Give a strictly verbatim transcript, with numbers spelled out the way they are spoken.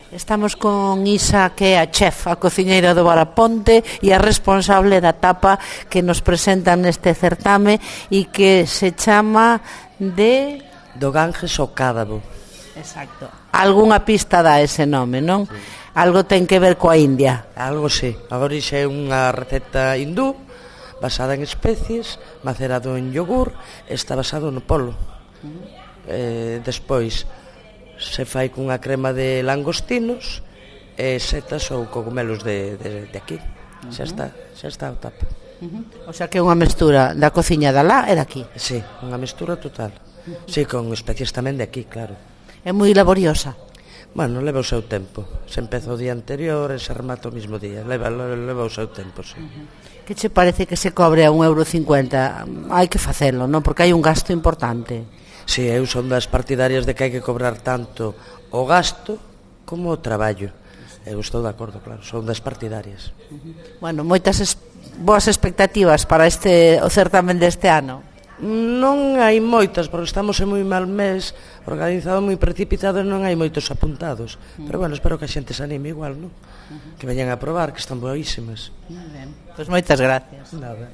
Estamos con Isa, que é a chef, a cociñeira do Varaponte e a responsable da tapa que nos presentan neste certame e que se chama de... Do Ganges ao Cádabo. Exacto. Algúnha pista dá ese nome, non? Sí. Algo ten que ver coa India. Algo sí. A orixe é unha receta hindú basada en especies, macerado en yogur, está basado no polo. Uh-huh. Eh, despois se fai cunha crema de langostinos e setas ou cogumelos de, de, de aquí. Uh-huh. Xa está, xa está o tapa. Uh-huh. O sea que é unha mestura da cociña da lá e daqui. Sí, unha mestura total. Uh-huh. Sí, con especies tamén de aquí, claro. É moi laboriosa. Bueno, leva o seu tempo. Se empeza o día anterior e se remata o mismo día. Leva, leva o seu tempo, sí. Uh-huh. Que che parece que se cobre a un euro cincuenta? Hai que facelo, non? Porque hai un gasto importante. Si, sí, eu son das partidarias de que hai que cobrar tanto o gasto como o traballo. Eu estou de acordo, claro, son das partidarias. Uh-huh. Bueno, moitas es- boas expectativas para este o certamen deste ano. Non hai moitas, porque estamos en moi mal mes, organizado moi precipitado e non hai moitos apuntados. Uh-huh. Pero bueno, espero que a xente se anime igual, non? Uh-huh. Que veñan a probar, que están boísimas. Moi ben. Pois moitas gracias. Nada.